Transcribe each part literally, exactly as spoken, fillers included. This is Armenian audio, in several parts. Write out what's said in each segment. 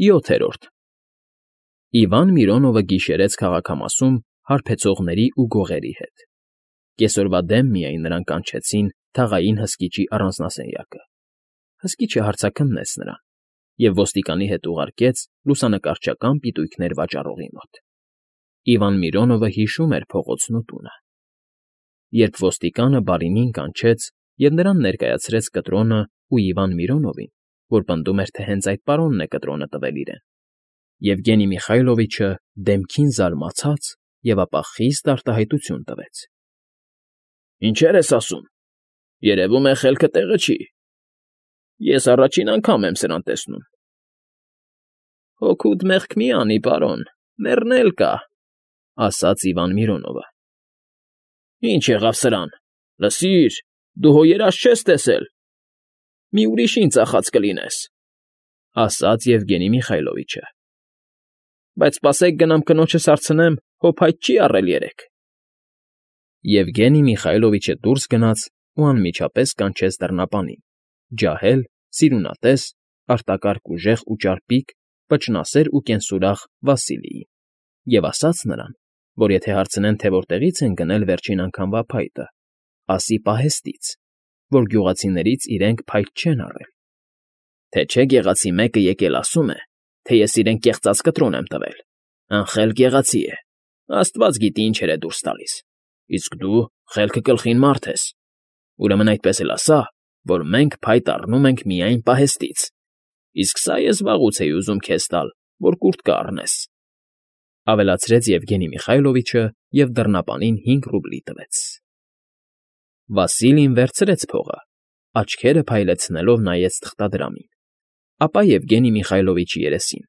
ՅՈԹԵՐՈՐԴ Իվան Միրոնովը գիշերեց քաղաքամասում հարբեցողների ու գողերի հետ. կեսօրվա դեմ միայն նրան կանչեցին թաղային հսկիչի առանձնասենյակը, հսկիչը հարցաքննեց նրան և ոստիկանի հետ ուղարկեց լուսանկարչական պիտույքներ վաճառողի մոտ. Իվան Միրոնովը հիշում էր փողոցն ու տունը։ Երբ ոստիկանը բարինին կանչեց և նրան ներկայացրեց կտրոնն ու Իվան Միրոնովին, որ պնդում էր, թե հենց այդ պարոնն է կտրոնը տվել իրեն, Եվգենի Միխայլովիչը դեմքին զարմացած և ապա խիստ արտահայտություն տվեց. ֊ Ինչեր ես ասում, երևում է խելքը տեղը չի, ես առաջին անգամ եմ սրան տեսնում։ ֊ Հոգուդ մեղք մի անի, պարոն, մեռնել կա, ֊ ասաց Իվան Միրոնովը։ ֊ Ինչ եղավ սրան, լսիր, դու հո երազ չես տեսել, մի ուրիշին ծախած կլինես, ֊ ասաց Եվգենի Միխայլովիչը։ ֊ Բայց սպասեք գնամ կնոջս հարցնեմ, հո փայտ չի առել երեկ։ Եվգենի Միխայլովիչը դուրս գնաց ու անմիջապես կանչեց դռնապանին՝ ջահել, սիրունատես, արտակարգ ուժեղ ու ճարպիկ, վճռասեր ու կենսուրախ Վասիլիին և ասաց նրան, որ եթե հարցնեն, թե որտեղից են գնել վերջին անգամվա փայտը, ասի պահեստից, որ գյուղացիներից իրենք փայտ չեն առել, թե չէ գեղացի մեկը եկել ասում է, թե ես իրեն կեղծած կտրոն եմ տվել, անխելք գեղացի է, աստված գիտի ինչեր է դուրս տալիս, իսկ դու խելքը կլխին մարդ ես, ուրեմն այդպես էլ ասա, որ մենք փայտ առնում ենք միայն պահեստից, իսկ սա ես վաղուց էի ուզում քեզ տալ, որ կուռտ կառնես, ֊ ավելացրեց Եվգենի Միխայլովիչը և դռնապանին հինգ ռուբլի տվեց։ Վասիլին վերցրեց փողը, աչքերը փայլեցնելով նայեց թղթադրամին, ապա Եվգենի Միխայլովիչի երեսին,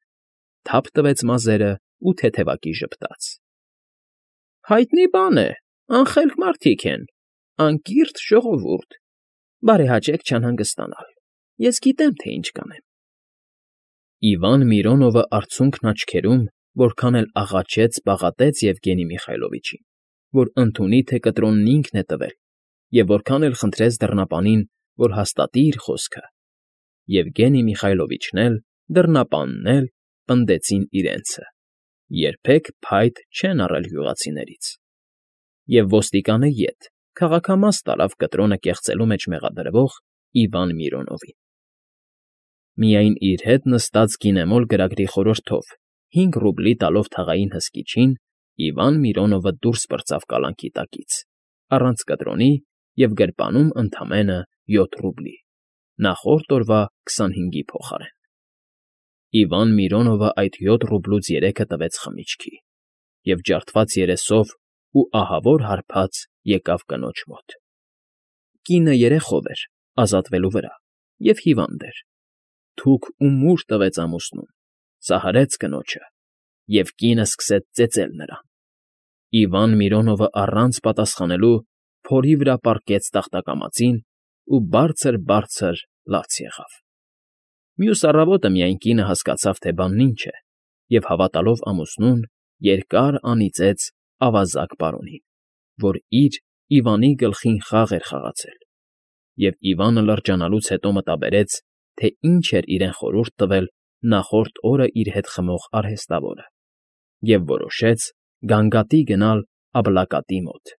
թափ տվեց մազերն ու թեթևակի ժպտաց։ ֊ Հայտնի բան է, անխելք մարդիկ են, անկիրթ ժողովուրդ, բարեհաճեք չանհանգստանալ, ես գիտեմ, թե ինչ կանեմ։ Իվան Միրոնովը արցունքն աչքերում որքան էլ աղաչեց, պաղատեց Եվգենի Միխայլովիչին, որ ընդունի, թե կտրոնն ինքն է տվել, և որքան էլ խնդրեց դռնապանին, որ հաստատի իր խոսքը, Եվգենի Միխայլովիչն էլ, դռնապանն էլ պնդեցին իրենցը, երբեք փայտ չեն առել գյուղացիներից, և ոստիկանը ետ քաղաքամաս տարավ կտրոնը կեղծելու մեջ մեղադրվող Իվան Միրոնովին։ Միայն իր հետ նստած գինեմոլ գրագրի խորհրդով հինգ ռուբլի տալով թաղային հսկիչին, Իվան Միրոնովը դուրս պրծավ կալանքի տակից, առանց կտրոնի և գրպանում ընդամենը յոթ ռուբլի, նախորդ օրվա քսանհինգի փոխարեն։ Իվան Միրոնովը այդ յոթ ռուբլուց երեքը տվեց խմիչքի և ջարդված երեսով ու ահավոր հարբած եկավ կնոջ մոտ։ Կինը երեխով էր, ազատվելու վրա, և հիվանդ էր, թուք ու մուր տվեց ամուսնուն, սահարեց կնոջը, և կինը սկսեց ծեծել նրան։ Իվան Միրոնովը առանց պատասխանելու փորի վրա պառկեց տախտակամածին ու բարձր֊բարձր լաց եղավ։ Մյուս առավոտը միայն կինը հասկացավ, թե բանն ինչ է, և հավատալով ամուսնուն, երկար անիծեց ավազակ պարոնին, որ իր՝ Իվանի գլխին խաղ էր խաղացել, և Իվանը լրջանալուց հետո մտաբերեց, թե ինչ էր իրեն խորհուրդ տվել նախորդ օրը իր հետ խմող արհեստավորը, և որոշեց գանգատի գնալ Աբլակատի մոտ